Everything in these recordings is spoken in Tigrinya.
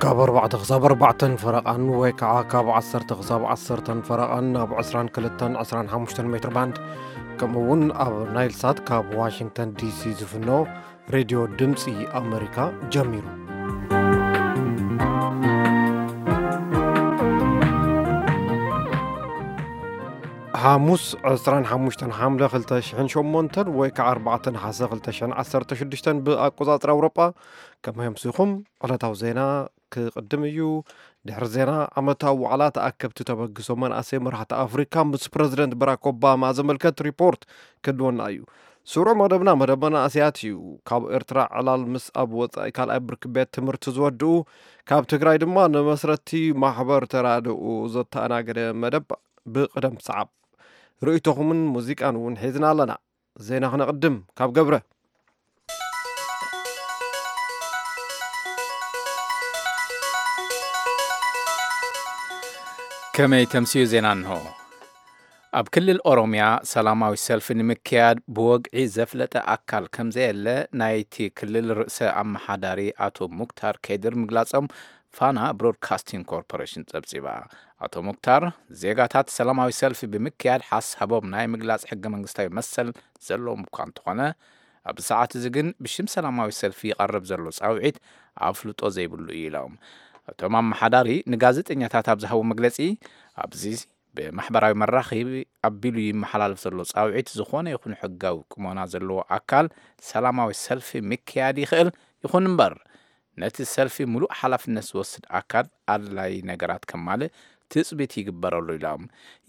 ካብ ኣርባዕተ ክሳብ ኣርባዕተን ፈረቓን ወይ ከዓ ካብ ዓሰርተ ክሳብ ዓሰርተን ፈረቓን ኣብ ዕስራን ክልተን ዕስራን ሓሙሽተን ሜትር ባንድ፣ ከምኡ እውን ኣብ ናይል ሳት ካብ ዋሽንግተን ዲሲ ዝፍኖ ሬድዮ ድምፂ ኣመሪካ ጀሚሩ። ሓሙስ ዕስራን ሓሙሽተን ሓምለ ክልተ ሽሕን ሸሞንተን ወይ ከዓ ኣርባዕተ ነሓሰ ክልተ ሽሕን ዓሰርተ ሽዱሽተን ብኣቆፃፅራ ኣውሮጳ። ከመይ ኣምሲኹም? ዕለታዊ ዜና ክቕድም እዩ። ድሕሪ ዜና፣ ዓመታዊ ዋዕላ ተኣከብቲ ተበግሶ መናእሰይ መራሕቲ ኣፍሪካ ምስ ፕረዚደንት ባራክ ኦባማ ዘመልከት ሪፖርት ክድወና እዩ። ስሩዕ መደብና መደብ መናእሰያት እዩ። ካብ ኤርትራ ዕላል ምስ ኣብ ወጻኢ ካልኣይ ብርኪ ቤት ትምህርቲ ዝወድኡ፣ ካብ ትግራይ ድማ ንመስረቲ ማሕበር ተራድኦ ዘተኣናገደ መደብ ብቕደም ሰዓብ። ርእይቶኹምን ሙዚቃን እውን ሒዝና ኣለና። ዜና ክነቕድም ካብ ገብረ። ከመይ ተምስዩ ዜና እንሆ። ኣብ ክልል ኦሮምያ ሰላማዊ ሰልፊ ንምክያድ ብወግዒ ዘፍለጠ ኣካል ከም ዘየለ ናይቲ ክልል ርእሰ ኣመሓዳሪ ኣቶ ሙክታር ከድር ምግላጾም ፋና ብሮድካስቲንግ ኮርፖሬሽን ጸብጺባ። ኣቶ ሙክታር፣ ዜጋታት ሰላማዊ ሰልፊ ብምክያድ ሓሳቦም ናይ ምግላጽ ሕገ መንግስታዊ መሰል ዘለዎም እኳ እንተኾነ፣ ኣብዚ ሰዓት እዚ ግን ብሽም ሰላማዊ ሰልፊ ይቐርብ ዘሎ ጻውዒት ኣፍልጦ ዘይብሉ እዩ ኢሎም። እቶም ኣመሓዳሪ ንጋዜጠኛታት ኣብ ዝሃቦ መግለጺ፣ ኣብዚ ብማሕበራዊ መራኸቢ ኣቢሉ ይመሓላለፍ ዘሎ ጻውዒት ዝኾነ ይኹን ሕጋዊ ቁመና ዘለዎ ኣካል ሰላማዊ ሰልፊ ምክያድ ይኽእል፣ ይኹን እምበር ነቲ ሰልፊ ምሉእ ሓላፍነት ዝወስድ ኣካል ኣድላዪ ነገራት ከማልእ ትጽቢት ይግበረሉ ኢሎም።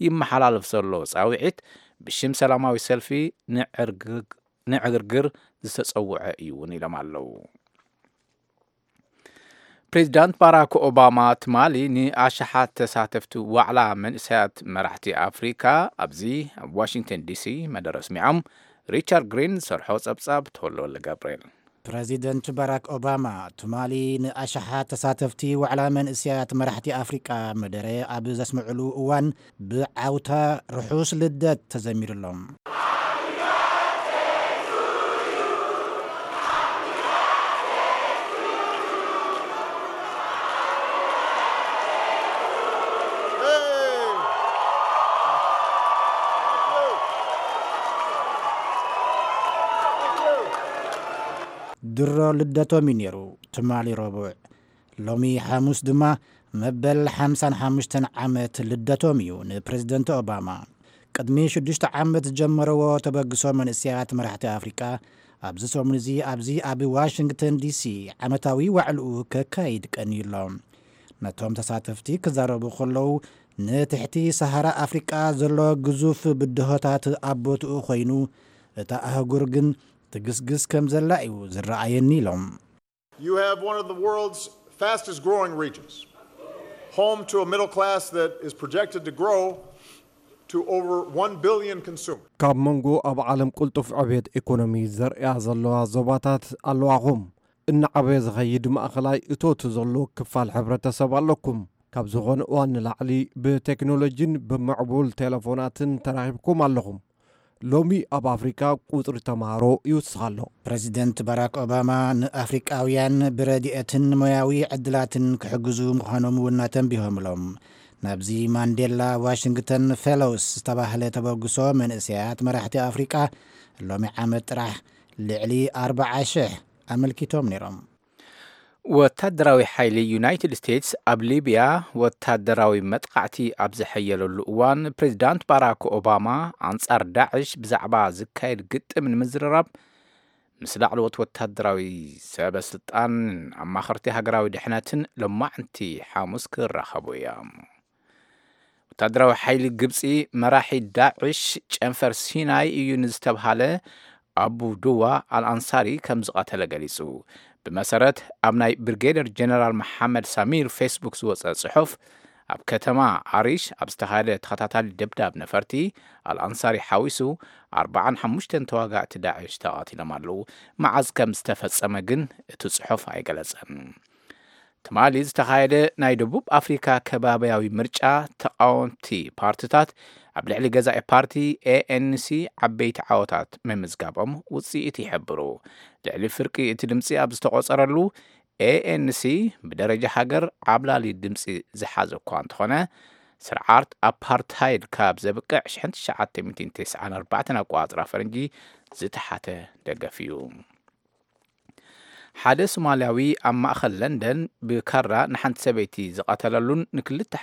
ይመሓላለፍ ዘሎ ጻውዒት ብሽም ሰላማዊ ሰልፊ ንዕርግግ-፣ ንዕግርግር ዝተጸውዐ እዩ እውን ኢሎም ኣለዉ። ፕሬዚዳንት ባራክ ኦባማ ትማሊ ንኣሽሓት ተሳተፍቲ ዋዕላ መንእሰያት መራሕቲ ኣፍሪካ ኣብዚ ኣብ ዋሽንግተን ዲሲ መደረ ኣስሚዖም። ሪቻርድ ግሪን ዝሰርሖ ጸብጻብ ተወልደወልደ ገብርኤል። ፕረዚደንት ባራክ ኦባማ ትማሊ ንኣሽሓት ተሳተፍቲ ዋዕላ መንእሰያት መራሕቲ ኣፍሪቃ መደረ ኣብ ዘስምዕሉ እዋን ብዓውታ ርሑስ ልደት ተዘሚሩሎም። ድሮ ልደቶም እዩ ነይሩ፣ ትማሊ ረቡዕ። ሎሚ ሓሙስ ድማ መበል ሓምሳን ሓሙሽተን ዓመት ልደቶም እዩ ንፕረዚደንት ኦባማ። ቅድሚ ሽዱሽተ ዓመት ዝጀመረዎ ተበግሶ መንእሰያት መራሕቲ ኣፍሪቃ፣ ኣብዚ ሰሙን እዚ ኣብዚ ኣብ ዋሽንግተን ዲሲ ዓመታዊ ዋዕልኡ ከካይድ ቀንዩ ኣሎ። ነቶም ተሳተፍቲ ክዛረቡ ከለዉ፣ ንትሕቲ ሰሃራ ኣፍሪቃ ዘሎ ግዙፍ ብድሆታት ኣብ ቦትኡ ኮይኑ፣ እታ ኣህጉር ግን ትግስግስ ከም ዘላ እዩ ዝረኣየኒ ኢሎም። You have one of the world's fastest growing regions, home to a middle class that is projected to grow to over one billion consumers. ካብ መንጎ ኣብ ዓለም ቅልጡፍ ዕብየት ኢኮኖሚ ዘርእያ ዘለዋ ዞባታት ኣለዋኹም። እናዓበየ ዝኸይድ ማእኸላይ እቶት ዘሎ ክፋል ሕብረተሰብ ኣለኩም። ካብ ዝኾነ እዋን ንላዕሊ ብቴክኖሎጂን ብምዕቡል ቴሌፎናትን ተራኺብኩም ኣለኹም። ሎሚ ኣብ ኣፍሪካ ቁፅሪ ተምሃሮ ይውስኽ ኣሎ። ፕረዚደንት ባራክ ኦባማ ንኣፍሪቃውያን ብረድኤትን ሞያዊ ዕድላትን ክሕግዙ ምዃኖም እውን ኣተንቢሆምሎም። ናብዚ ማንዴላ ዋሽንግተን ፌሎውስ ዝተባህለ ተበግሶ መንእሰያት መራሕቲ ኣፍሪቃ ሎሚ ዓመት ጥራሕ ልዕሊ ኣርባዓ ሽሕ ኣመልኪቶም ነይሮም። ወታደራዊ ሓይሊ ዩናይትድ ስቴትስ ኣብ ሊብያ ወታደራዊ መጥቃዕቲ ኣብ ዘሐየለሉ እዋን፣ ፕሬዚዳንት ባራክ ኦባማ ኣንጻር ዳዕሽ ብዛዕባ ዝካየድ ግጥም ንምዝርራብ ምስ ላዕለዎት ወታደራዊ ሰበ ስልጣን፣ ኣማኸርቲ ሃገራዊ ድሕነትን ሎማዕንቲ ሓሙስ ክራኸቡ እዮም። ወታደራዊ ሓይሊ ግብጺ መራሒ ዳዕሽ ጨንፈር ሲናይ እዩ ንዝተብሃለ ኣቡ ዱዋ ኣልኣንሳሪ ከም ዝቐተለ ገሊጹ። ብመሰረት ኣብ ናይ ብሪጌደር ጀነራል መሓመድ ሳሚር ፌስቡክ ዝወጸ ጽሑፍ፣ ኣብ ከተማ ኣሪሽ ኣብ ዝተኻየደ ተኸታታሊ ደብዳብ ነፈርቲ ኣልኣንሳሪ ሓዊሱ ኣርባዓን ሓሙሽተን ተዋጋእቲ ዳዕሽ ተቐቲሎም ኣለዉ። መዓዝ ከም ዝተፈጸመ ግን እቲ ጽሑፍ ኣይገለጸን። ትማሊ ዝተኻየደ ናይ ደቡብ ኣፍሪካ ከባብያዊ ምርጫ፣ ተቓወምቲ ፓርቲታት ኣብ ልዕሊ ገዛኢ ፓርቲ ኤ ኤን ሲ ዓበይቲ ዓወታት ምምዝጋቦም ውፅኢት ይሕብሩ። ልዕሊ ፍርቂ እቲ ድምፂ ኣብ ዝተቖፀረሉ፣ ኤኤንሲ ብደረጃ ሃገር ዓብላሊ ድምፂ ዝሓዘ እኳ እንተኾነ፣ ስርዓት ኣፓርታይድ ካብ ዘብቅዕ ሽሕን ትሽዓተ ሚእትን ተስዓን ኣርባዕተን ኣቆፃፅራ ፈረንጂ ዝተሓተ ደገፍ እዩ። ሓደ ሶማልያዊ ኣብ ማእኸል ለንደን ብካራ ንሓንቲ ሰበይቲ ዝቐተለሉን ንክልተ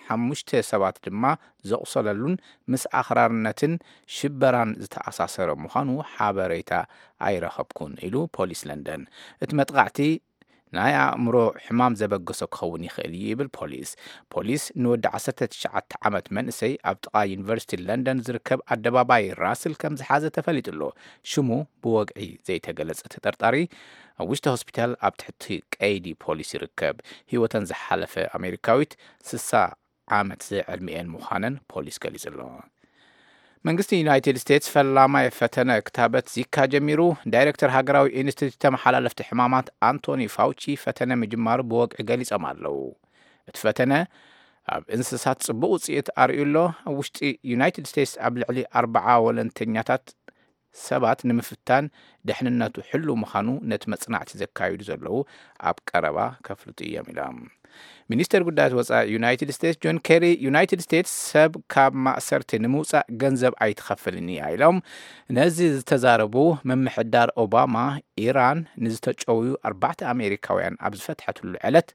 ሓሙሽተ ሰባት ድማ ዘቑሰለሉን ምስ ኣኽራርነትን ሽበራን ዝተኣሳሰረ ምዃኑ ሓበሬታ ኣይረኸብኩን ኢሉ ፖሊስ ለንደን። እቲ መጥቓዕቲ ናይ ኣእምሮ ሕማም ዘበገሶ ክኸውን ይኽእል እዩ ይብል ፖሊስ። ፖሊስ ንወዲ ዓሰርተ ትሽዓተ ዓመት መንእሰይ ኣብ ጥቓ ዩኒቨርሲቲ ለንደን ዝርከብ ኣደባባይ ራስል ከም ዝሓዘ ተፈሊጡ ኣሎ። ሽሙ ብወግዒ ዘይተገለጸ ተጠርጣሪ ኣብ ውሽጢ ሆስፒታል ኣብ ትሕቲ ቀይዲ ፖሊስ ይርከብ። ህይወተን ዝሓለፈ ኣሜሪካዊት ስሳ ዓመት ዝዕድሚኤን ምዃነን ፖሊስ ገሊጹ ኣሎ። መንግስቲ ዩናይትድ ስቴትስ ፈላማይ ፈተነ ክታበት ዚካ ጀሚሩ። ዳይሬክተር ሃገራዊ ኢንስቲትዩት ተመሓላለፍቲ ሕማማት ኣንቶኒ ፋውቺ ፈተነ ምጅማሩ ብወግዒ ገሊጾም ኣለዉ። እቲ ፈተነ ኣብ እንስሳት ጽቡቕ ውጽኢት ኣርእዩ ኣሎ። ኣብ ውሽጢ ዩናይትድ ስቴትስ ኣብ ልዕሊ ኣርብዓ ወለንተኛታት ሰባት ንምፍታን ድሕንነቱ ሕሉው ምዃኑ ነቲ መጽናዕቲ ዘካይዱ ዘለዉ ኣብ ቀረባ ከፍልጡ እዮም ኢሎም። ሚኒስተር ጉዳያት ወጻኢ ዩናይትድ ስቴትስ ጆን ኬሪ፣ ዩናይትድ ስቴትስ ሰብ ካብ ማእሰርቲ ንምውጻእ ገንዘብ ኣይትኸፍልን እያ ኢሎም። ነዚ ዝተዛረቡ፣ ምምሕዳር ኦባማ ኢራን ንዝተጨውዩ ኣርባዕተ ኣሜሪካውያን ኣብ ዝፈትሐትሉ ዕለት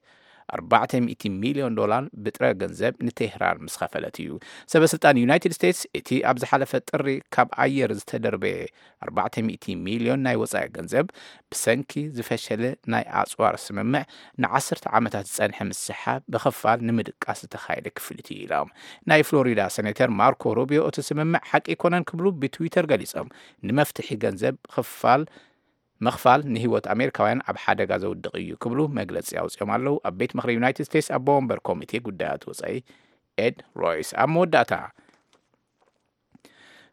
ኣርባዕተ ሚእቲ ሚልዮን ዶላር ብጥረ ገንዘብ ንቴህራን ምስ ኸፈለት እዩ። ሰበ ስልጣን ዩናይትድ ስቴትስ፣ እቲ ኣብ ዝሓለፈ ጥሪ ካብ ኣየር ዝተደርበየ ኣርባዕተ ሚእቲ ሚልዮን ናይ ወጻኢ ገንዘብ፣ ብሰንኪ ዝፈሸለ ናይ ኣጽዋር ስምምዕ ንዓሰርተ ዓመታት ዝጸንሐ ምስሓብ ብኽፋል ንምድቃስ ዝተኻየደ ክፍሊት እዩ ኢሎም። ናይ ፍሎሪዳ ሴኔተር ማርኮ ሩቢዮ፣ እቲ ስምምዕ ሓቂ ኣይኮነን ክብሉ ብትዊተር ገሊጾም። ንመፍትሒ ገንዘብ ክፋል ምኽፋል ንህይወት ኣሜሪካውያን ኣብ ሓደጋ ዘውድቕ እዩ ክብሉ መግለጺ ኣውጺኦም ኣለዉ። ኣብ ቤት ምኽሪ ዩናይትድ ስቴትስ ኣቦ ወንበር ኮሚቴ ጉዳያት ወጻኢ ኤድ ሮይስ። ኣብ መወዳእታ፣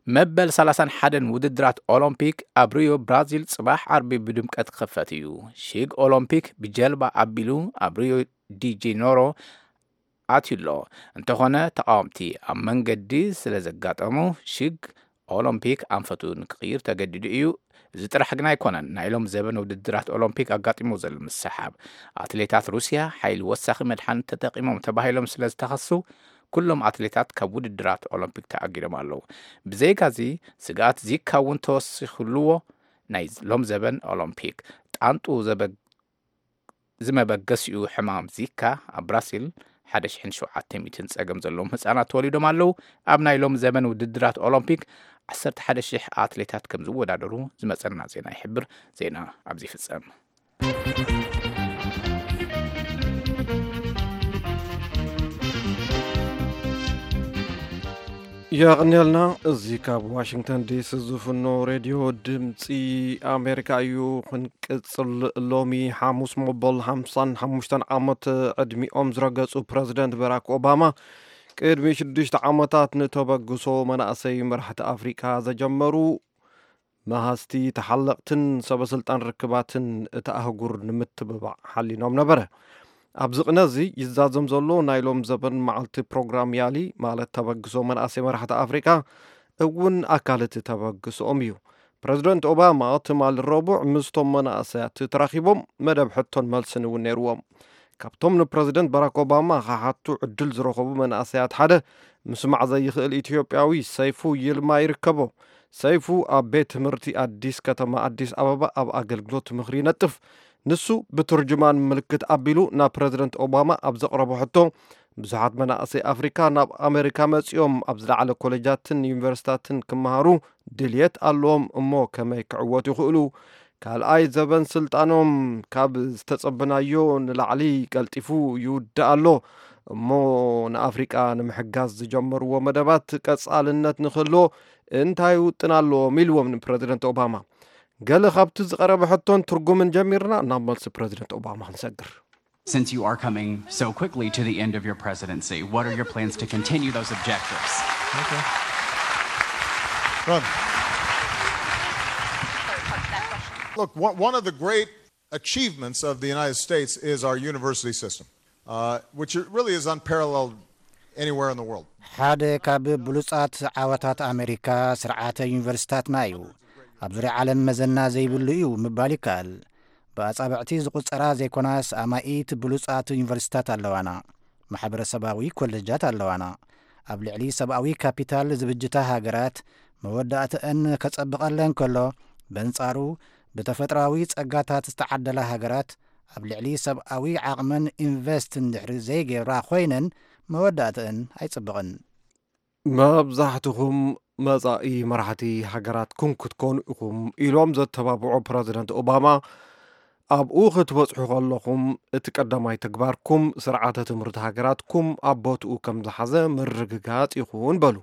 መበል ሰላሳን ሓደን ውድድራት ኦሎምፒክ ኣብ ሪዮ ብራዚል ጽባሕ ዓርቢ ብድምቀት ክኽፈት እዩ። ሽግ ኦሎምፒክ ብጀልባ ኣቢሉ ኣብ ሪዮ ዲ ጄኔሮ ኣትዩ ኣሎ። እንተኾነ፣ ተቓወምቲ ኣብ መንገዲ ስለ ዘጋጠሙ፣ ሽግ ኦሎምፒክ ኣንፈቱ ንክቕይር ተገዲዱ እዩ። እዚ ጥራሕ ግን ኣይኮነን። ናይ ሎም ዘበን ውድድራት ኦሎምፒክ ኣጋጢሞ ዘሎ ምስሓብ፣ ኣትሌታት ሩስያ ሓይሊ ወሳኺ መድሓኒት ተጠቒሞም ተባሂሎም ስለ ዝተኸሱ፣ ኩሎም ኣትሌታት ካብ ውድድራት ኦሎምፒክ ተኣጊዶም ኣለዉ። ብዘይካዚ፣ ስግኣት ዚካ እውን ተወሲኹልዎ። ናይ ሎም ዘበን ኦሎምፒክ ጣንጡ ዘበ-፣ ዝመበገሲኡ ሕማም ዚካ ኣብ ብራሲል ሓደ ሽሕን ሸውዓተ ሚእትን ጸገም ዘለዎም ህጻናት ተወሊዶም ኣለዉ። ኣብ ናይ ሎም ዘመን ውድድራት ኦሎምፒክ ዓሰርተ ሓደ ሽሕ ኣትሌታት ከም ዝወዳደሩ ዝመጸና ዜና ይሕብር። ዜና ኣብዚ ይፍጸም። የቐንየልና። እዚ ካብ ዋሽንግተን ዲሲ ዝፍኖ ሬድዮ ድምፂ ኣሜሪካ እዩ። ክንቅፅል፣ ሎሚ ሓሙስ መበል ሓምሳን ሓሙሽተን ዓመት ዕድሚኦም ዝረገፁ ፕረዚደንት በራክ ኦባማ ቅድሚ ሽዱሽተ ዓመታት ንተበግሶ መናእሰይ መራሕቲ ኣፍሪካ ዘጀመሩ መሃዝቲ ተሓለቕትን ሰበ ስልጣን ርክባትን እታ ኣህጉር ንምትብባዕ ሓሊኖም ነበረ። ኣብዚ ቅነ እዚ ይዛዘም ዘሎ ናይ ሎም ዘበን መዓልቲ ፕሮግራም ያሊ፣ ማለት ተበግሶ መናእሰይ መራሕቲ ኣፍሪቃ፣ እውን ኣካል እቲ ተበግሶኦም እዩ። ፕረዚደንት ኦባማ ትማሊ ረቡዕ ምስቶም መናእሰያት ተራኺቦም መደብ ሕቶን መልስን እውን ነይርዎም። ካብቶም ንፕረዚደንት ባራክ ኦባማ ክሓቱ ዕድል ዝረኸቡ መናእሰያት ሓደ ምስማዕ ዘይኽእል ኢትዮጵያዊ ሰይፉ ይልማ ይርከቦ። ሰይፉ ኣብ ቤት ትምህርቲ ኣዲስ ከተማ ኣዲስ ኣበባ ኣብ ኣገልግሎት ምኽሪ ይነጥፍ። ንሱ ብትርጅማን ምልክት ኣቢሉ ናብ ፕረዚደንት ኦባማ ኣብ ዘቕረቦ ሕቶ፣ ብዙሓት መናእሰይ ኣፍሪካ ናብ ኣሜሪካ መጺኦም ኣብ ዝለዓለ ኮሌጃትን ዩኒቨርሲታትን ክመሃሩ ድልየት ኣለዎም፣ እሞ ከመይ ክዕወቱ ይኽእሉ? ካልኣይ ዘበን ስልጣኖም ካብ ዝተጸበናዮ ንላዕሊ ቀልጢፉ ይውዳእ ኣሎ፣ እሞ ንኣፍሪቃ ንምሕጋዝ ዝጀመርዎ መደባት ቀጻልነት ንክህልዎ እንታይ ውጥን ኣለዎም? ኢልዎም ንፕረዚደንት ኦባማ። ገለ ካብቲ ዝቐረበ ሕቶን ትርጉምን ጀሚርና ናብ መልሲ ፕረዚደንት ኦባማ ክንሰግር። Since you are coming so quickly to the end of your presidency, what are your plans to continue those objectives? Run. Look, one, one of the great achievements of the United States is our university system, uh, which really is unparalleled anywhere in the world. ሓደ ካብ ብሉጻት ዓወታት ኣሜሪካ ስርዓተ ዩኒቨርሲታትና እዩ። ኣብ ዙርያ ዓለም መዘና ዘይብሉ እዩ ምባል ይከኣል። ብኣጻብዕቲ ዝቑጸራ ዘይኮናስ ኣማኢት ብሉጻት ዩኒቨርሲታት ኣለዋና። ማሕበረሰባዊ ኮለጃት ኣለዋና። ኣብ ልዕሊ ሰብኣዊ ካፒታል ዝብጅታ ሃገራት መወዳእተአን ከጸብቐለን ከሎ፣ በንጻሩ ብተፈጥሮኣዊ ጸጋታት ዝተዓደላ ሃገራት ኣብ ልዕሊ ሰብኣዊ ዓቕመን ኢንቨስት እንድሕሪ ዘይገብራ ኮይነን መወዳእተአን ኣይጽብቕን። መብዛሕትኹም መጻኢ መራሕቲ ሃገራትኩም ክትኮኑ ኢኹም ኢሎም ዘተባብዑ ፕረዚደንት ኦባማ፣ ኣብኡ ክትበጽሑ ከለኹም እቲ ቀዳማይ ተግባርኩም ስርዓተ ትምህርቲ ሃገራትኩም ኣብ ቦትኡ ከም ዝሓዘ ምርግጋጽ ይኹን በሉ።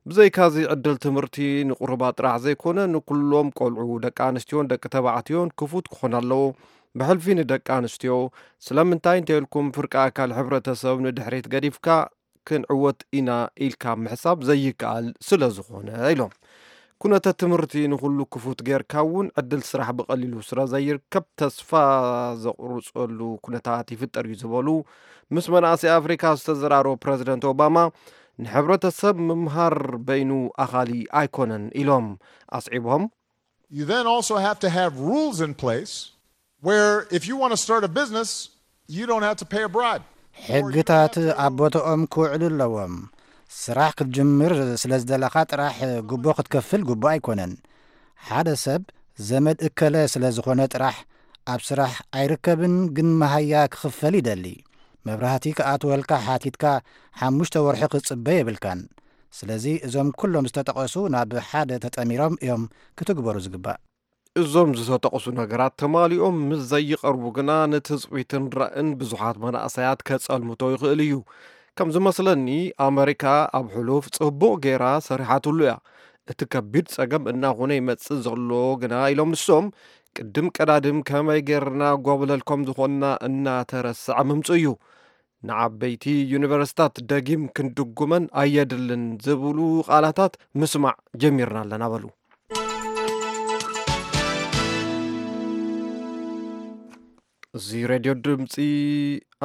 ብዘይካዚ ዕድል ትምህርቲ ንቁሩባት ጥራሕ ዘይኮነ ንኩሎም ቆልዑ ደቂ ኣንስትዮን ደቂ ተባዕትዮን ክፉት ክኾን ኣለዎ። ብሕልፊ ንደቂ ኣንስትዮ ስለምንታይ እንተኢልኩም ፍርቂ ኣካል ሕብረተሰብ ንድሕሪት ገዲፍካ ክንዕወት ኢና ኢልካ ምሕሳብ ዘይከኣል ስለ ዝኾነ ኢሎም። ኩነተ ትምህርቲ ንኹሉ ክፉት ጌርካ እውን ዕድል ስራሕ ብቐሊሉ ስለ ዘይርከብ ተስፋ ዘቑርፀሉ ኩነታት ይፍጠር እዩ ዝበሉ ምስ መናእሰይ ኣፍሪካ ዝተዘራረቡ ፕረዚደንት ኦባማ ንሕብረተሰብ ምምሃር በይኑ ኣኻሊ ኣይኮነን ኢሎም ኣስዒቦም። You then also have to have rules in place where if you want to start a business, you don't have to pay a bribe. ሕግታት ኣብ ቦታኦም ክውዕሉ ኣለዎም። ስራሕ ክትጅምር ስለ ዝደለኻ ጥራሕ ጉቦ ክትከፍል ግቡእ ኣይኮነን። ሓደ ሰብ ዘመድ እከለ ስለ ዝኾነ ጥራሕ ኣብ ስራሕ ኣይርከብን፣ ግን መሃያ ክኽፈል ይደሊ። መብራህቲ ክኣትወልካ ሓቲትካ ሓሙሽተ ወርሒ ክትጽበ የብልካን። ስለዚ እዞም ኩሎም ዝተጠቐሱ ናብ ሓደ ተጠሚሮም እዮም ክትግበሩ ዝግባእ። እዞም ዝተጠቕሱ ነገራት ተማሊኦም ምስ ዘይቐርቡ ግና ንትጽቢትን ራእን ብዙሓት መናእሰያት ከጸልምቶ ይኽእል እዩ። ከም ዝመስለኒ ኣመሪካ ኣብ ሕሉፍ ጽቡቕ ጌራ ሰሪሓትሉ እያ። እቲ ከቢድ ጸገም እናኾነ ይመጽእ ዘሎ ግና ኢሎም ንሶም ቅድም ቀዳድም ከመይ ጌርና ጓብለል ከም ዝኾንና እናተረስዐ ምምጽኡ እዩ። ንዓበይቲ ዩኒቨርሲታት ደጊም ክንድጉመን ኣየድልን ዝብሉ ቃላታት ምስማዕ ጀሚርና ኣለና በሉ። እዚ ሬድዮ ድምፂ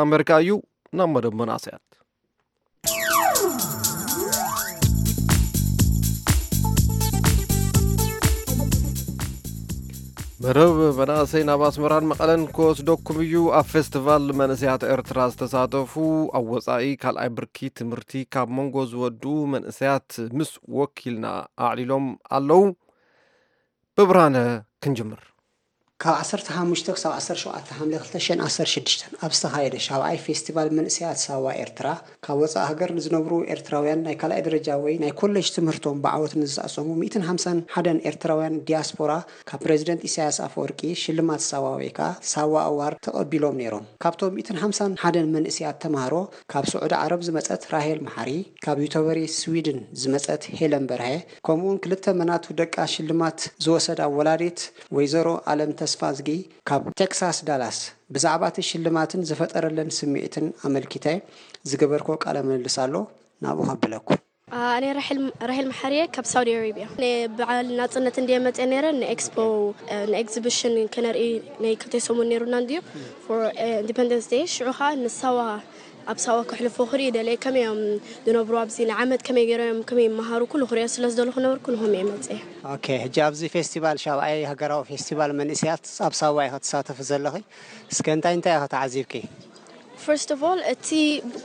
ኣሜሪካ እዩ። ናብ መደብ መናእሰያት መደብ መናእሰይ ናብ ኣስመራን መቐለን ክወስደኩም እዩ። ኣብ ፌስቲቫል መንእሰያት ኤርትራ ዝተሳተፉ ኣብ ወፃኢ ካልኣይ ብርኪ ትምህርቲ ካብ መንጎ ዝወዱ መንእሰያት ምስ ወኪልና ኣዕሊሎም ኣለዉ። ብብርሃነ ክንጅምር። ካብ ዓሰርተ ሓሙሽተ ክሳብ ዓሰርተ ሸውዓተ ሓምለ ክልተ ሽሕን ዓሰርተ ሽዱሽተን ኣብ ዝተኻየደ ሻብዓይ ፌስቲቫል መንእሰያት ሳዋ ኤርትራ፣ ካብ ወጻኢ ሃገር ንዝነብሩ ኤርትራውያን ናይ ካልኣይ ደረጃ ወይ ናይ ኮሌጅ ትምህርቶም ብዓወት ንዝኣሰሙ ሚእትን ሓምሳን ሓደን ኤርትራውያን ዲያስፖራ፣ ካብ ፕረዚደንት ኢሳያስ ኣፈወርቂ ሽልማት ሳዋ ወይ ከኣ ሳዋ ኣዋርድ ተቐቢሎም ነይሮም። ካብቶም ሚእትን ሓምሳን ሓደን መንእሰያት ተማሃሮ፣ ካብ ስዑዲ ዓረብ ዝመጸት ራሄል መሓሪ፣ ካብ ዩተበሪ ስዊድን ዝመጸት ሄለን በርሀ፣ ከምኡውን ክልተ መናቱ ደቃ ሽልማት ዝወሰዳ ወላዲት ወይዘሮ ኣለም ተስፋዝጊ ካብ ቴክሳስ ዳላስ፣ ብዛዕባ እቲ ሽልማትን ዝፈጠረለን ስምዒትን ኣመልኪተ ዝገበርክዎ ቃለ ምልልስ ኣሎ፣ ናብኡ ከብለኩም። ኣነ ራሄል መሓርየ ካብ ሳውዲ ኣረቢያ። ናይ በዓል ናጽነት እንድየ መጽየ ነይረ፣ ንኤክስፖ፣ ንኤግዚቢሽን ክነርኢ ናይ ክልተ ሰሙን ነይሩና እንድዩ፣ ፎር ኢንዲፐንደንስ ዴይ። ሽዑ ኸኣ ንሳዋ ኣብ ሳዋ ከሕልፎ ክርኢ ደልየ። ከመይ እዮም ዝነብሩ ኣብዚ ንዓመት ከመይ ገይሮም እዮም ከመይ ይመሃሩ ኩሉ ክሪኦ ስለ ዝደለኹ ነበርኩ ንሆም እየ መፅየ። ኦኬ፣ ሕጂ ኣብዚ ፌስቲቫል ሻብኣይ ሃገራዊ ፌስቲቫል መንእሰያት ኣብ ሳዋ ኢኻ ትሳተፊ ዘለኺ። እስከ እንታይ እንታይ ኢኻ ተዓዚብኪ? ፈርስት ኦፍ ኦል እቲ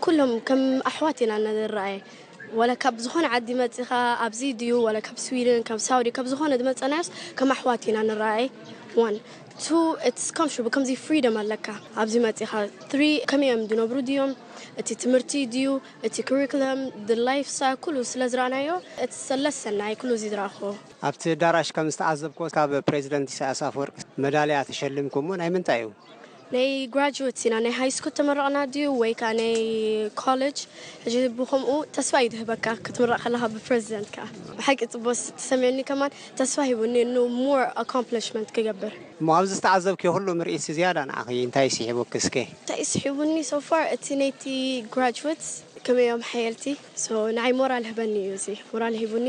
ኩሎም ከም ኣሕዋት ኢና ንረኣየ። ወላ ካብ ዝኾነ ዓዲ መፂኻ ኣብዚ ድዩ ወላ ካብ ስዊድን ካብ ሳውዲ ካብ ዝኾነ ዝመፀናዮስ ከም ኣሕዋት ኢና ንረኣየ። ዋን ቱ ኢትስ ኮምፎርታብል ከምዚ ፍሪደም ኣለካ ኣብዚ መፂኻ። ትሪ ከመይ እዮም ዝነብሩ ድዮም እቲ ትምህርቲ ድዩ እቲ ኩሪኩለም ላይፍ ስታይል ኩሉ ስለ ዝረኣናዮ ኢትስ ለሰን ናይ ኩሉ እዚ ዝረኣኽዎ። ኣብቲ ኣዳራሽ ከም ዝተዓዘብክዎ ካብ ፕሬዚደንት ኢሳያስ ኣፈወርቂ መዳልያ ተሸሊምኩም እሞ ናይ ምንታይ እዩ? ናይ ግራጁዌት ኢና ናይ ሃይ ስኩል ተመረቕና ድዩ ወይ ከዓ ናይ ኮሌጅ? ሕጂ ብከምኡ ተስፋ እዩ ዝህበካ ክትምረቕ ከለኻ ብፕሬዚደንት ከዓ። ብሓቂ ፅቡቅ ተሰሚዑኒ ከማን ተስፋ ሂቡኒ ን ሞር ኣኮምፕሊሽመንት ክገብር። እሞ ኣብዚ ዝተዓዘብክዮ ኩሉ ምርኢት ዝያዳ ንዓኺ እንታይ ስሒቡኪ እስከ? እንታይ ስሒቡኒ ሶፋር እቲ ናይቲ ግራጁዌት ከመይ እዮም ሓየልቲ። ሶ ንዓይ ሞራል ህበኒ እዩ እዚ ሞራል ሂቡኒ።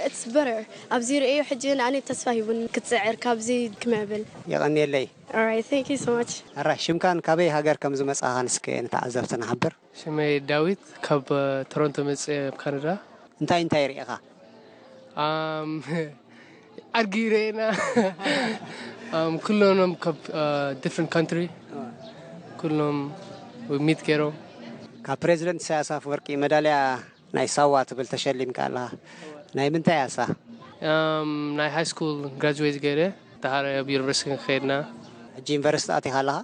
ኢትስ በተር ኣብዚ ርእዮ ሕጂ ንኣነ ተስፋ ሂቡኒ ክትፅዕር ካብዚ ክምዕብል። የቐንየለይ። Alright, thank you so much. ኣራ ሽምካን ካበይ ሃገር ከም ዝመጻኻን እስከ ንተዓዘብቲ ንሓብር። ሽመይ ዳዊት ካብ ቶሮንቶ መጽእ ኣብ ካናዳ። እንታይ እንታይ ርኢኻ? ኣም ዓርጊ ርኤና። እም፣ ኩሎም ካብ፣ እ፣ different country። ኩሎም ሚት ገይሮም። ካብ ፕሬዚደንት ኢሳያስ ኣፈወርቂ መዳልያ ናይ ሳዋ ትብል ተሸሊምካ ኣለኻ። ናይ ምንታይ እያ እሳ? እም፣ ናይ ሃይ ስኩል ግራጁዌት ገይረ፣ ደሓር ኣብ ዩኒቨርሲቲ ከይድና። ሕጂ ዩኒቨርሲቲ ኣቲኻ ኣለኻ?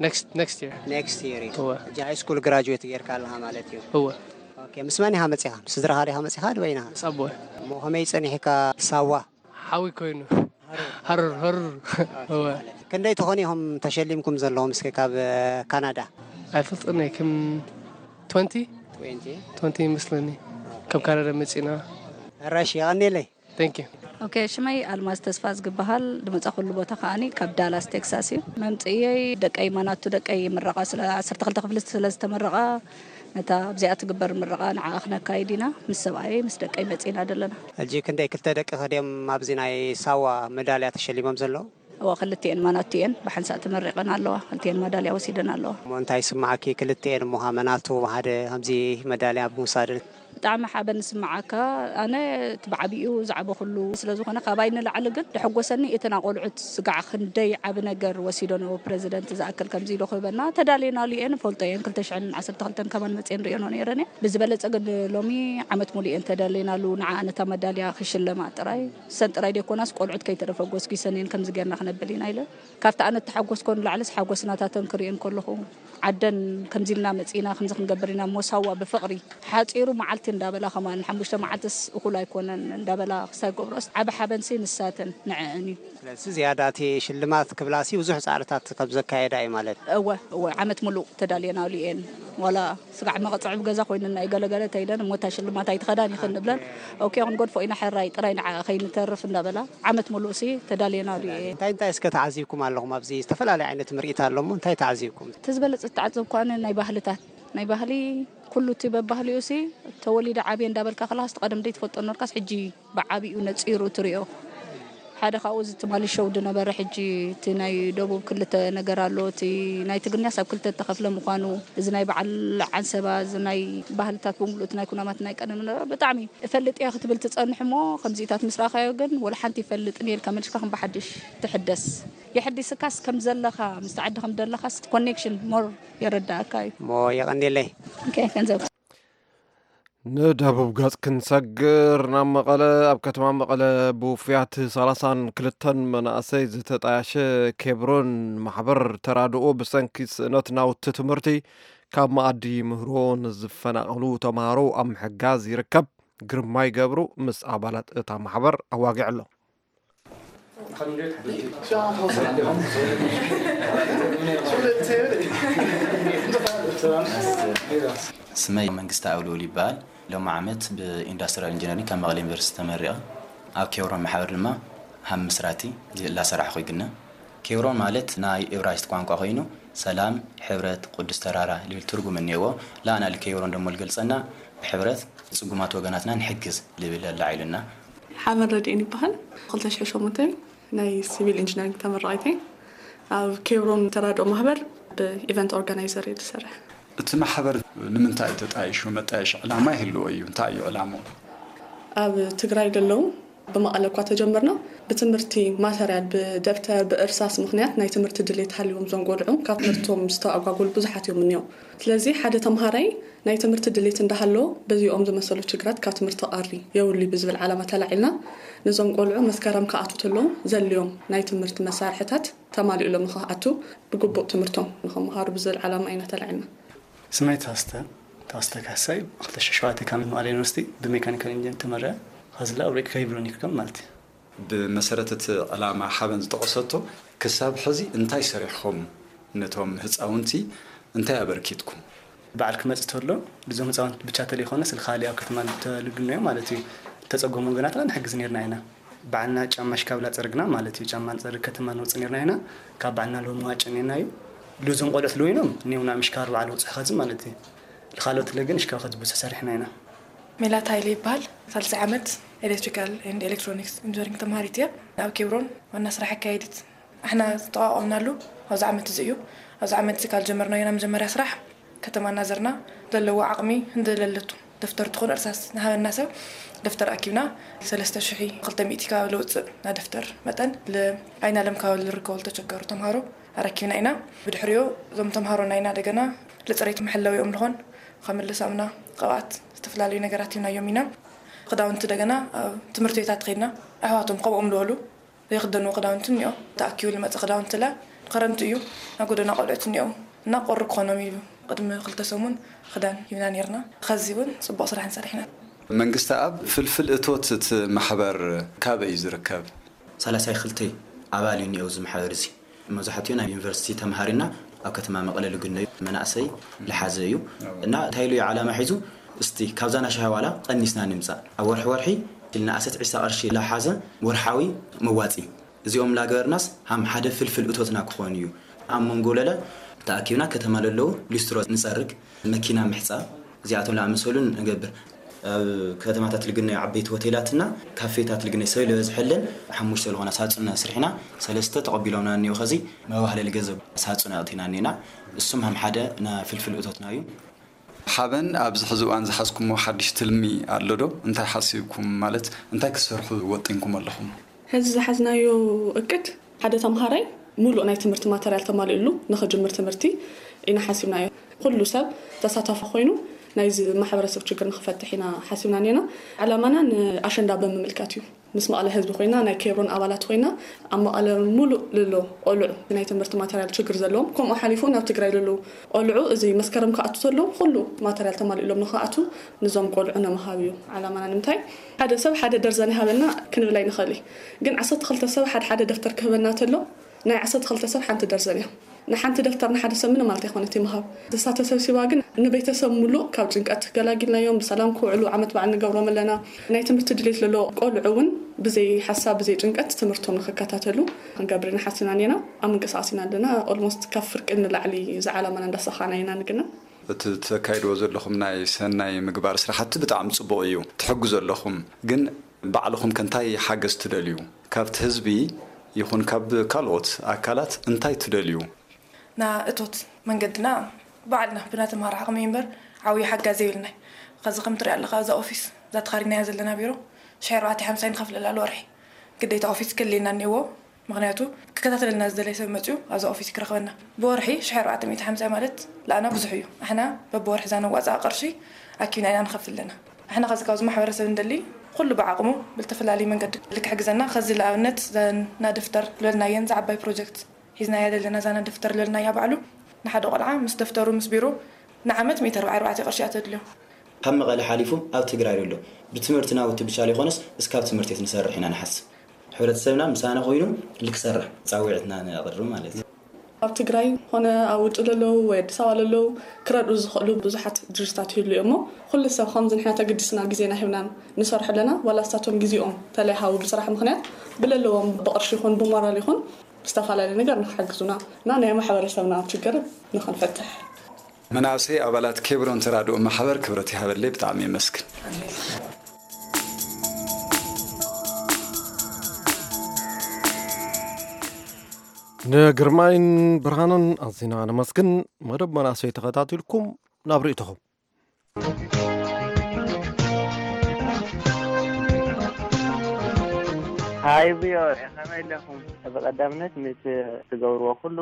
ኔክስት፣ ኔክስት ይር። ኔክስት ይር እዩ። እወ። ሕጂ ሃይ ስኩል ግራጁዌት ጌርካ ኣለኻ ማለት እዩ። እወ። ኦኬ፣ ምስ መን ኢኻ መጺኻ? ምስ ስድራኻ ዲኻ መጺኻ፣ ድበይንኻ? ምስ ኣቦይ። እሞ ከመይ ጸኒሕካ ሳዋ? ሓዊ ኮይኑ። ሃሩር፣ ሃሩር። ኦኬ፣ እወ። ማለት ክንደይ ትኾኑ ኢኹም ተሸሊምኩም ዘለኹም እስከ ካብ፣ እ፣ ካናዳ? ኣይፈልጥን እየ፣ ከም ትወንቲ? ትወንቲ? ትወንቲ ይመስለኒ። ካብ ካናዳ መጺና። ሕራሽ፣ የቐንየለይ። Thank you። ኦኬ፣ ሽመይ ኣልማዝ ተስፋ ዝግበሃል፣ ዝመጻኹሉ ቦታ ከኣኒ ካብ ዳላስ ቴክሳስ እዩ። መምጽእየይ ደቀይ ማናቱ ደቀይ ምረቓ ስለ ዓሰርተ ክልተ ክፍሊ ስለ ዝተመረቓ፣ ነታ ኣብዚኣ ትግበር ምረቓ ንዓኣ ክነካይድ ኢና። ምስ ሰብኣየይ ምስ ደቀይ መጺእና ዘለና። ሕጂ ክንደይ ክልተ ደቂ ከድዮም ኣብዚ ናይ ሳዋ መዳልያ ተሸሊሞም ዘለዉ? እወ፣ ክልቲኤን ማናቱ እየን ብሓንሳእ ተመሪቐን ኣለዋ። ክልቲኤን ማዳልያ ወሲደን ኣለዋ። እሞ እንታይ ይስምዓኪ ክልቲኤን እሞ ሃመናቱ ሓደ ከምዚ መዳልያ ብምውሳደን? ብጣዕሚ ሓበን ዝስምዓካ። ኣነ እቲ ብዓቢኡ ዝዓበኹሉ ስለ ዝኾነ፣ ካባይ ንላዕሊ ግን ደሐጎሰኒ እተን ኣቆልዑት ስጋዕ ክንደይ ዓቢ ነገር ወሲደንኦ። ፕረዚደንት ዝኣክል ከምዚ ኢሉ ክህበና፣ ተዳልየናሉ እየ፣ ንፈልጦ እየን። ክልተ ሽሕን ዓሰርተ ክልተን ከማን መጽየን ርእየንኦ ነይረን እየ። ብዝበለጸ ግን ሎሚ ዓመት ሙሉእ እየን ተዳልየናሉ፣ ንዓ ነታ መዳልያ ክሽለማ ጥራይ። እሰን ጥራይ ደይኮናስ፣ ቆልዑት ከይተረፈ ጎስጒሰን እየን፣ ከምዚ ጌርና ክነብል ኢና ኢለ። ካብቲ ኣነ እተሓጎስኮ ንላዕልስ ሓጎስ ናታተን ክርእየን ከለኹ፣ ዓደን ከምዚ ኢልና መጺእና፣ ከምዚ ክንገብር ኢና እሞ ሳዋ ብፍቕሪ፣ ሓጺሩ መዓልቲ እንዳበላ፣ ከማን ሓሙሽተ መዓልትስ እኹል ኣይኮነን እንዳበላ ክሳብ ገብሮስ፣ ዓቢ ሓበንሲ ንሳተን ንዐአን እዩ። ስለዚ ዝያዳ እቲ ሽልማት ክብላሲ ብዙሕ ጻዕርታት ከም ዘካየዳ እዩ ማለት። እወ፣ እወ፣ ዓመት ምሉእ ተዳልየናሉ እየን። ዋላ ስጋዕ መቐጽዒ ኣብ ገዛ ኮይንና እዩ ገለገለ ተይለን፣ እሞ እታ ሽልማት ኣይትኸዳን ኢኽን ንብለን። ኦኬ፣ ክንገድፎ ኢና፣ ሕራይ ጥራይ ንዓ ከይንተርፍ እንዳበላ፣ ዓመት ምሉእሲ ተዳልየናሉ እየ። እንታይ እንታይ እስከ ተዓዚብኩም ኣለኹም? ኣብዚ ዝተፈላለየ ዓይነት ምርኢት ኣሎ እሞ እንታይ ተዓዚብኩም? እቲ ዝበለጸ ዝተዓዘብኩ ኣነ ናይ ባህልታት፣ ናይ ባህሊ፣ ኩሉ እቲ በባህሊኡ ሲ ተወሊደ ዓብየ እንዳበልካ ከለኻስ፣ እቲ ቀደም ደይትፈልጦ ነበርካስ፣ ሕጂ ብዓቢኡ ነጺሩ ትሪኦ። ሓደ ካብኡ እዚ ትማሊ ሾው ዝነበረ፣ ሕጂ እቲ ናይ ደቡብ ክልተ ነገር ኣሎ። እቲ ናይ ትግርኛስ ኣብ ክልተ እተኸፍለ ምዃኑ፣ እዚ ናይ በዓል ዓንሰባ፣ እዚ ናይ ባህልታት ብምሉእ፣ እቲ ናይ ኩናማት ናይ ቀደም ዝነበረ ብጣዕሚ እፈልጥ እየ ክትብል ትጸንሕ እሞ፣ ከምዚታት ምስ ረኣኻዮ ግን ወላ ሓንቲ ይፈልጥን እየ ኢልካ መሊስካ ከም ብሓድሽ ትሕደስ። የሐዲስካስ ከም ዘለኻ፣ ምስቲ ዓዲ ከም ዘለኻስ ኮኔክሽን ሞር የረዳእካ እዩ። እሞ የቐንየለይ። ኦኬ፣ ገንዘብ። ንደቡብ ገጽ ክንሰግር ናብ መቐለ። ኣብ ከተማ መቐለ ብውፉያት ሰላሳን ክልተን መናእሰይ ዝተጣየሸ ኬብሮን ማሕበር ተራድኦ ብሰንኪ ስእነት ናውቲ ትምህርቲ ካብ መኣዲ ምህሮ ንዝፈናቐሉ ተምሃሮ ኣብ ምሕጋዝ ይርከብ። ግርማይ ገብሩ ምስ ኣባላት እታ ማሕበር ኣዋጊዑ ኣሎ። ስመይ መንግስቲ ኣውልኡል ይበሃል። ሎሚ ዓመት ብኢንዳስትሪያል ኢንጂነሪንግ ካብ መቐለ ዩኒቨርሲቲ ተመሪቐ። ኣብ ኬብሮን ማሕበር ድማ ሃም ምስራቲ እናሰራሕኹ ይግነ። ኬብሮን ማለት ናይ እብራይስጥ ቋንቋ ኮይኑ፣ ሰላም፣ ሕብረት፣ ቅዱስ ተራራ ልብል ትርጉም እኒአዎ። ላና ልኬብሮን ደሞ ልገልጸና፣ ብሕብረት ንጽጉማት ወገናትና ንሕግዝ ልብል ኣላዒሉና። ሓበን ረድኤን ይበሃል። ክልተ ሽሕን ሸሞንተን ናይ ሲቪል ኢንጂነሪንግ ተመራቒት እየ። ኣብ ኬብሮን ተራድኦ ማሕበር ብኢቨንት ኦርጋናይዘር እየ ዝሰርሕ። እቲ ማሕበር ንምንታይ እዩ ተጣይሹ? መጣየሺ ዕላማ ይህልዎ እዩ። እንታይ እዩ ዕላምኡ? ኣብ ትግራይ ዘለዉ ብመቐለ እኳ ተጀመርና፣ ብትምህርቲ ማተርያል፣ ብደብተር፣ ብእርሳስ ምኽንያት ናይ ትምህርቲ ድሌት ሃልዎም እዞም ቆልዑ ካብ ትምህርቶም ዝተኣጓጎሉ ብዙሓት እዮም እኒኦ። ስለዚ ሓደ ተምሃራይ ናይ ትምህርቲ ድሌት እንዳሃለዎ በዚኦም ዝመሰሉ ችግራት ካብ ትምህርቲ ክቐሪ የብሉ ብዝብል ዓላማ ተላዒልና፣ ነዞም ቆልዑ መስከረም ክኣትዉ ተለዉ ዘልዮም ናይ ትምህርቲ መሳርሕታት ተማሊኡሎም ንኽኣትዉ ብግቡእ ትምህርቶም ንኽመሃሩ ብዝብል ዓላማ ኢና ተላዒልና። ስመይ ተኸስተ፣ ተኸስተ ካሕሳይ፣ ክልተ ሽሕን ሸውዓተን ካብ መቐለ ዩኒቨርሲቲ ብሜካኒካል ኢንጂነር ተመሪቐ። ኸዚ ኣብ ርኢካ ይብሉኒ ከም ማለት እዩ። ብመሰረት እቲ ዕላማ ሓበን ዝጠቐሰቶ፣ ክሳብ ሕዚ እንታይ ሰሪሕኹም ነቶም ህፃውንቲ እንታይ ኣበርኪትኩም? በዓል ክመጽእ ተሎ፣ ልዞም ህፃውንቲ ብቻ ተለይኮነ፣ ስለ ካልእ ኣብ ከተማ ተልግኖ እዮም ማለት እዩ። ተጸገሙ ወገናትና ንሕግዝ ነርና ኢና። ባዕልና ጫማ ሽካብላ ጸርግና ማለት እዩ። ጫማ ንጸርግ ከተማ ንወጽእ ነርና ኢና። ካብ ባዕልና ሎሚ ዋጨ ነና እዩ። ልዞም ቆልዑት ልወይኖም፣ እኒው ናብ ምሽካር በዓል ወጽሑ ኸዚ ማለት እዩ። ልኻልኦት ለ ግን ሽካብ ኸዚ ብዙሕ ሰሪሕና ኢና። ሜላት ሃይለ ይበሃል። ሳልሳይ ዓመት ኤሌክትሪካል ኤንድ ኤሌክትሮኒክስ ኢንጂነሪንግ ተምሃሪት እየ። ኣብ ኬብሮን ዋና ስራሕ ኣካየዲት። ኣሕና ዝተቋቋምናሉ ኣብዚ ዓመት እዚ እዩ። ኣብዚ ዓመት እዚ ካብ ጀመርናዮ ናይ መጀመርያ ስራሕ ከተማ እናዘርና ዘለዎ ዓቕሚ እንደለለቱ ደፍተር ትኹን እርሳስ ንሃበና ሰብ ደፍተር ኣኪብና ሰለስተ ሽሕ ክልተ ሚእቲ ካብ ልውፅእ ናይ ደፍተር መጠን ል-፣ ኣይናለም ካብ ልርከቡ ልተቸገሩ ተምሃሮ ኣረኪብና ኢና። ብድሕሪኡ እዞም ተምሃሮ ናይና ደገና ልፅሬት መሐለዊኦም ልኾን ከም ልሳምና፣ ቅብኣት፣ ዝተፈላለዩ ነገራት ሂብናዮም ኢና። ክዳውንቲ ደገና ኣብ ትምህርቲ ቤታት ከይድና ኣሕዋቶም ከምኦም ልበሉ ዘይክደንዎ ክዳውንቲ እኒኦ። ተኣኪቡ ልመፀ ክዳውንቲ ለ ክረምቲ እዩ፣ ናይ ጎደና ቆልዑት እኒኦ እና ቁሪ ክኾኖም ኢሉ ቅድሚ ክልተ ሰሙን ክዳን ሂብና ነይርና። ኸዚ እውን ፅቡቕ ስራሕ ንሰርሕ ኢና። መንግስቲ ኣብ ፍልፍል እቶት እቲ ማሕበር ካበይ እዩ ዝርከብ? ሰላሳይ ክልተ ኣባል እዩ እኒኦ እዚ ማሕበር እዚ። መብዛሕትኡ ናይ ዩኒቨርሲቲ ተምሃሪና ኣብ ከተማ መቐለ ልግነዩ መናእሰይ ልሓዘ እዩ። እና እንታይ ኢሉ እዩ ዓላማ ሒዙ? እስቲ ካብዛ ናሻሃ ዋላ ቀኒስና ንምፃእ፣ ኣብ ወርሒ ወርሒ ኢልና ኣሰት ዒሳ ቅርሺ ላሓዘ ወርሓዊ መዋፂ፣ እዚኦም ላገበርናስ ሃም ሓደ ፍልፍል እቶትና ክኾን እዩ። ኣብ መንጎ ለለ ተኣኪብና ከተማ ለለዉ ሊስትሮ ንፀርግ፣ መኪና ምሕፃብ፣ እዚኣቶም ለኣመሰሉን ንገብር። ኣብ ከተማታት ልግነዩ ዓበይቲ ሆቴላትና ካፌታት ልግነዩ ሰብ ለበዝሐለን ሓሙሽተ ዝኾና ሳፁና ስርሕና ሰለስተ ተቐቢሎምና እኒኦ። ኸዚ መባህለሊ ገንዘብ ሳፁና ኣእቲና እኒና፣ እሱም ሃም ሓደ ና ፍልፍል እቶትና እዩ። ሓበን፣ ኣብዚ ሕዚ እዋን ዝሓዝኩሞ ሓድሽ ትልሚ ኣሎ ዶ? እንታይ ሓሲብኩም፣ ማለት እንታይ ክትሰርሑ ወጢንኩም ኣለኹም? ሕዚ ዝሓዝናዮ እቅድ ሓደ ተምሃራይ ሙሉእ ናይ ትምህርቲ ማተርያል ተማሊኡሉ ንኽጅምር ትምህርቲ ኢና ሓሲብናዮ። ኩሉ ሰብ ተሳታፊ ኮይኑ ናይዚ ማሕበረሰብ ችግር ንኽፈትሕ ኢና ሓሲብና ኔና። ዕላማና ንኣሸንዳ ብምምልካት እዩ። ምስ መቐለ ህዝቢ ኮይና ናይ ኬብሮን ኣባላት ኮይና ኣብ መቐለ ሙሉእ ልሎ ቆልዑ ናይ ትምህርቲ ማተርያል ችግር ዘለዎም ከምኡ ሓሊፉ ናብ ትግራይ ልሎ ቆልዑ እዚ መስከረም ክኣቱ ተሎ ኩሉ ማተርያል ተማሊእሎም ንክኣቱ ንዞም ቆልዑ ንምሃብ እዩ ዓላማና። ንምንታይ ሓደ ሰብ ሓደ ደርዘን ይሃበና ክንብል ኣይንኽእል እዩ። ግን ዓሰርተ ክልተ ሰብ ሓደ ሓደ ደፍተር ክህበና ተሎ ናይ ዓሰርተ ክልተ ሰብ ሓንቲ ደርዘን እያ። ንሓንቲ ደፍተር ንሓደ ሰብ ምንም ማለት ኣይኮነት ይምሃብ። እሳ ተሰብሲባ ግን ንቤተሰብ ሙሉእ ካብ ጭንቀት ገላጊልናዮም ብሰላም ክውዕሉ ዓመት በዓል ንገብሮም ኣለና። ናይ ትምህርቲ ድሌት ለሎ ቆልዑ እውን ብዘይ ሓሳብ ብዘይ ጭንቀት ትምህርቶም ንክከታተሉ ክንገብር ኢና ሓሲብና እኒና። ኣብ ምንቅስቃስ ኢና ኣለና። ኦልሞስት ካብ ፍርቂ ንላዕሊ ዝዓላማና እንዳሳኻና ኢና ንግና። እቲ ተካይድዎ ዘለኹም ናይ ሰናይ ምግባር ስራሕቲ ብጣዕሚ ፅቡቕ እዩ፣ ትሕግዙ ኣለኹም። ግን ባዕልኹም ከ እንታይ ሓገዝ ትደልዩ? ካብቲ ህዝቢ ይኹን ካብ ካልኦት ኣካላት እንታይ ትደልዩ? ና እቶት መንገድና ባዕልና ብናተምሃሮ ዓቕሚ እምበር ዓብዪ ሓጋዚ የብልናይ። ኸዚ ከም ትሪኣ ኣለኻ እዛ ኦፊስ እዛ ተኻሪናያ ዘለና ቢሮ ሽሕ ኣርባዕተ ሓምሳ ንኸፍለላ ልወርሒ ግዴታ ኦፊስ ክልየና እኒዎ። ምኽንያቱ ክከታተለልና ዝደለየ ሰብ መፅዩ ኣብዛ ኦፊስ ክረኽበና ብወርሒ ሽሕ ኣርባዕተ ሚእቲ ሓምሳ ማለት ለኣና ብዙሕ እዩ። ኣሕና በብወርሒ እዛ ነዋፅኣ ቅርሺ ኣኪብና ኢና ንኸፍል ኣለና። ኣሕና ኸዚ ካብዚ ማሕበረሰብ እንደሊ ኩሉ ብዓቕሙ ብልተፈላለዩ መንገዲ ልክሕግዘና ኸዚ ለኣብነት ናደፍተር ልበልናየን ዝዓባይ ፕሮጀክት ሒዝናያ ዘለና እዛ ናደፍተር ልበልናያ ባዕሉ ንሓደ ቆልዓ ምስ ደፍተሩ ምስ ቢሮ ንዓመት ሚእቲ ኣርባዓ ኣርባዕተ ቅርሺ እያ ተድልዮ። ካብ መቐለ ሓሊፉ ኣብ ትግራይ ኣሎ። ብትምህርቲ ናውቲ ብቻ ዘይኮነስ እስካብ ትምህርቲ ቤት ንሰርሕ ኢና ንሓስብ። ሕብረተሰብና ምሳና ኮይኑ ልክሰርሕ ፃዊዕትና ነቕርብ ማለት እዩ። ኣብ ትግራይ ኮነ ኣብ ውጭ ለለዉ ወይ ኣዲስ ኣበባ ለለዉ ክረድኡ ዝኽእሉ ብዙሓት ድርጅታት ይህሉ እዮም እሞ ኩሉ ሰብ ከምዚ ንሕና ተገዲስና ግዜና ሂብና ንሰርሑ ኣለና ዋላ እሳቶም ግዜኦም ተለይሃቡ ብስራሕ ምኽንያት ብለለዎም ብቕርሺ ይኹን ብሞራል ይኹን ብዝተፈላለዩ ነገር ንክሕግዙና እና ናይ ማሕበረሰብና ችግር ንኽንፈትሕ። መናእሰይ ኣባላት ኬብሮን ተራድኦ ማሕበር ክብረት ይሃበለይ ብጣዕሚ የመስግን። ንግርማይን ብርሃንን ኣዚና ነመስግን። መደብ መናእሰይ ተኸታቲልኩም ናብ ርእይቶኹም። ሃይ ቪኦኤ ከመይ ኣለኹም? ብቐዳምነት ነቲ ትገብርዎ ኩሉ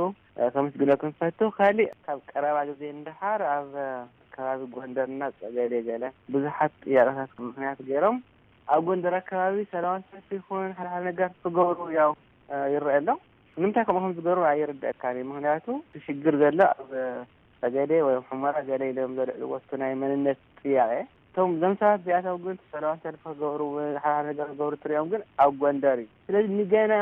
ከመስግነኩም ፈቱ። ካሊእ ካብ ቀረባ ግዜ ንደሓር ኣብ ከባቢ ጎንደርና ጸገዴ ገለ ብዙሓት ጥያቄታት ምኽንያት ገይሮም ኣብ ጎንደር ኣከባቢ ሰላማዊ ሰልፊ ይኹን ሓደ ሓደ ነገር ክገብሩ ያው ይረአ ኣሎ። ንምንታይ ከምኡ ከም ዝገብሩ ኣይርደኣካን እዩ። ምኽንያቱ እቲ ሽግር ዘሎ ኣብ ጸገዴ ወይ ሑመራ ገለ ኢሎም ዘልዕልዎ እቲ ናይ መንነት ጥያቄ እቶም እዞም ሰባት እዚኣቶም ግን ሰላማዊ ሰልፊ ክገብሩ ሓደ ሓደ ነገር ክገብሩ ትሪኦም ግን ኣብ ጎንደር እዩ። ስለዚ ንገና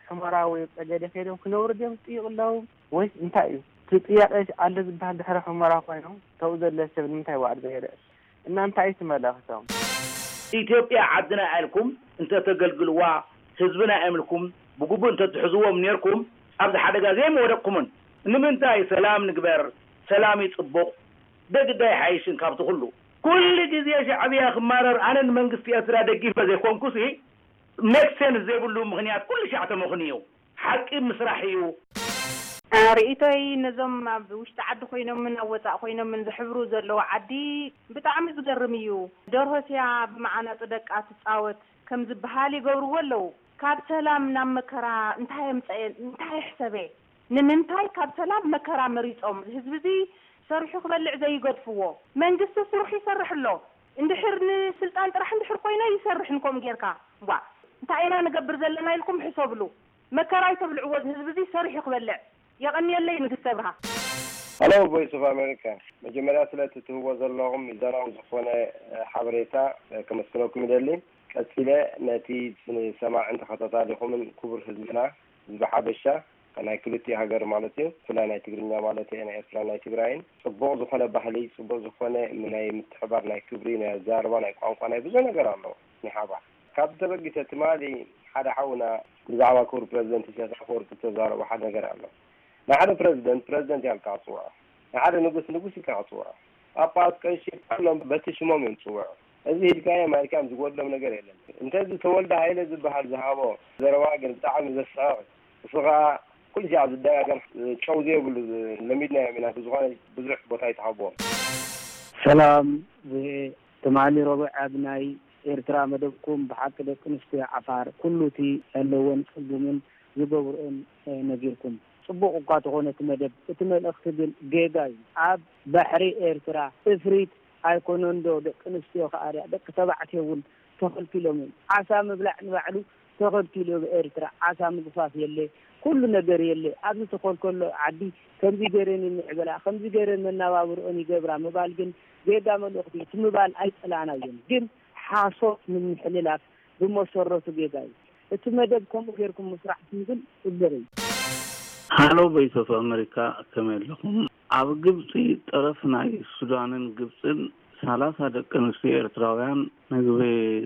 ሑመራ ወይ ጸገዴ ከይዶም ክነብሩ ድዮም ዝጥይቁ ኣለዉ ወይስ እንታይ እዩ እቲ ጥያቄ? ኣሎ ዝበሃል ድሕሪ ሑመራ ኮይኖም ተው ዘሎ ሰብ ንምንታይ ባዕሉ ዘይርእ እና እንታይ እዩ እቲ መልእኽቶም? ኢትዮጵያ ዓድና ኢልኩም እንተተገልግልዋ ህዝብና ኢምልኩም ብግቡእ እንተትሕዝዎም ኔርኩም ኣብዚ ሓደጋ ዘይምወደቅኩምን። ንምንታይ ሰላም ንግበር ሰላም እዩ ጽቡቕ ደግዳ ይሓይሽን ካብቲ ኩሉ። ኩሉ ግዜ ሻዕብያ ክማረር ኣነ ንመንግስቲ ኤርትራ ደጊፈ ዘይኮንኩሲ make sense ዘይብሉ ምኽንያት ኩሉ ሻዕ ተመኽንዩ። ሓቂ ምስራሕ እዩ። ርእይቶይ ነዞም ኣብ ውሽጢ ዓዲ ኮይኖምን ኣብ ወፃእ ኮይኖምን ዝሕብሩ ዘለዉ ዓዲ ብጣዕሚ ዝገርም እዩ። ደርሆ ስያ ብመዓናጡ ደቃ ትፃወት ከም ዝበሃል ይገብርዎ ኣለዉ። ካብ ሰላም ናብ መከራ እንታይ የምፀኤ እንታይ ይሕሰበ? ንምንታይ ካብ ሰላም መከራ መሪፆም? ህዝቢ እዚ ሰሪሑ ክበልዕ ዘይገድፍዎ? መንግስቲ ስርሑ ይሰርሕ ኣሎ። እንድሕር ንስልጣን ጥራሕ እንድሕር ኮይነ ይሰርሕን ከምኡ ጌርካ ዋ እንታይ ኢና ንገብር ዘለና ኢልኩም ሕሰብሉ። መከራ ኣይተብልዕዎ ህዝቢ እዚ ሰሪሑ ክበልዕ። የቐንየለይ ንግስቲ ኣብርሃ። Hello Voice of America፣ መጀመርያ ስለቲ ትህቦ ዘለኹም ሚዛናዊ ዝኾነ ሓበሬታ ከመስግነኩም ይደሊ። ቀጺለ ነቲ ንሰማዕን ተኸታታሊኹምን ክቡር ህዝብና፣ ህዝቢ ሓበሻ ናይ ክልቲኡ ሃገር ማለት እዩ፣ ብፍላይ ናይ ትግርኛ ማለት እየ፣ ናይ ኤርትራን ናይ ትግራይን፣ ጽቡቕ ዝኾነ ባህሊ፣ ጽቡቕ ዝኾነ ናይ ምትሕባር፣ ናይ ክብሪ፣ ናይ ኣዛርባ፣ ናይ ቋንቋ፣ ናይ ብዙሕ ነገር ኣሎ ናይ ሓባር። ካብዚ ተበጊሰ ትማሊ ሓደ ሓውና ብዛዕባ ክቡር ፕረዚደንት ኢሳያስ ኣፈወርቂ ዝተዛረቦ ሓደ ነገር ኣሎ። ንሓደ ፕረዚደንት ፕረዚደንት ኢልካ ክጽውዖ፣ ንሓደ ንጉስ ንጉስ ኢልካ ክጽውዖ፣ ጳጳስ ቀሺ ኩሎም በቲ ሽሞም እዮም ዝጽውዑ። እዚ ሂድካዮ ማይልካ እዮም ዝጎድሎም ነገር የለን። እንተዚ ተወልደ ሃይለ ዝበሃል ዝሃቦ ዘረባ ግን ብጣዕሚ ዘስሕቕ፣ እሱ ኸኣ ኩሉ ሻዕ ዝደጋገም ጨው ዘይብሉ ለሚድናዮም ኢና። ብዝኾነ ብዙሕ ቦታ ኣይትሃብዎም። ሰላም ቪኦኤ፣ ትማሊ ረቡዕ ኣብ ናይ ኤርትራ መደብኩም ብሓቂ ደቂ ኣንስትዮ ዓፋር ኩሉ እቲ ዘለወን ጸገምን ዝገብርኦን ነጊርኩም። ጽቡቕ እኳ ተኾነ እቲ መደብ፣ እቲ መልእኽቲ ግን ጌጋ እዩ። ኣብ ባሕሪ ኤርትራ እፍሪት ኣይኮነንዶ ደቂ ኣንስትዮ ከኣ ደኣ ደቂ ተባዕትዮ እውን ተኸልኪሎም እዮም። ዓሳ ምብላዕ ንባዕሉ ተኸልኪሉ ኣብ ኤርትራ ዓሳ ምግፋፍ የለ፣ ኩሉ ነገር የለ። ኣብ ዝተኸልከሎ ዓዲ ከምዚ ገይረን ይምዕብላ፣ ከምዚ ገይረን መናባብርኦን ይገብራ ምባል ግን ጌጋ መልእኽቲ እዩ። እቲ ምባል ኣይጸላእናዮን፣ ግን ሓሶት ምምሕልላፍ ብመሰረቱ ጌጋ እዩ። እቲ መደብ ከምኡ ጌርኩም ምስራሕኩም ግን ጽቡቕ እዩ። ሃሎ ቮይስ ኦፍ ኣመሪካ፣ ከመይ ኣለኹም? ኣብ ግብጺ ጠረፍ ናይ ሱዳንን ግብጽን ሰላሳ ደቂ ኣንስትዮ ኤርትራውያን ምግቢ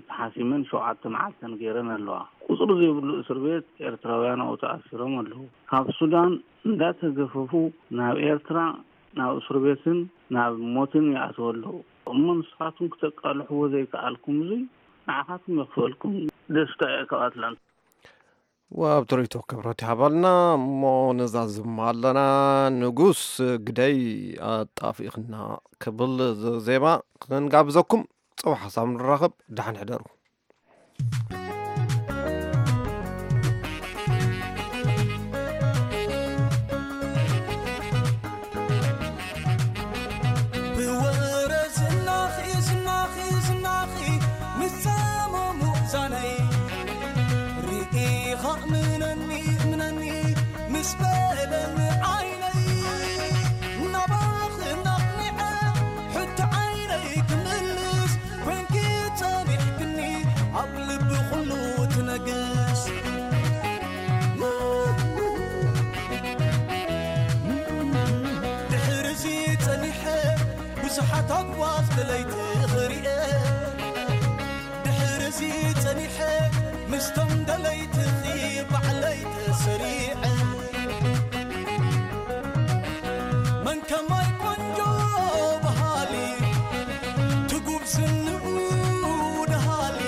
ተሓሲመን ሸውዓተ መዓልተን ገይረን ኣለዋ። ቁጽሪ ዘይብሉ እስር ቤት ኤርትራውያን ኣብኡ ተኣሲሮም ኣለዉ። ካብ ሱዳን እንዳተገፈፉ ናብ ኤርትራ ናብ እስር ቤትን ናብ ሞትን ይኣትዉ ኣለዉ። እሞ ንስኻትኩም ክተቃልሕዎ ዘይከኣልኩም እዙይ ንዓኻትኩም የኽፍአልኩም። ደስታ እየ ካብ ኣትላንታ። ወብ ትርኢቶ ክብረት ይሃበልና። እሞ ነዛዝም ኣለና። ንጉስ ግደይ ኣጣፊእኽና ክብል ዜማ ክንጋብዘኩም። ጽባሕ ሓሳብ ንራኸብ። ደሓን ሕደሩ። ብወረ ዝናኺ ዝናኺ ዝናኺ ምስ ጸመሙ እዛነይ ርኢኻ እምነኒ እምነኒ ምስ በለኒ ዓይነይ ናባኺ ናቕኒዐ ሕቶ ዓይነይ ክምልስ ኮንኪ ጸኒሕክኒ ኣብ ልቢ ኩሉ ትነግስ። ድሕርዚ ጸኒሐ ብዙሓት ኣጓዝ ደለይቲ ክሪኤ። ድሕርዚ ጸኒሐ ምስቶም ደለይትኺ ባዕለይ ተሰሪዐ። መን ከማይ ቆንጆ በሃሊ ትጉብዝንኡ ደሃሊ።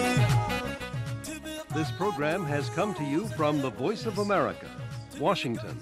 This program has come to you from the Voice of America, Washington.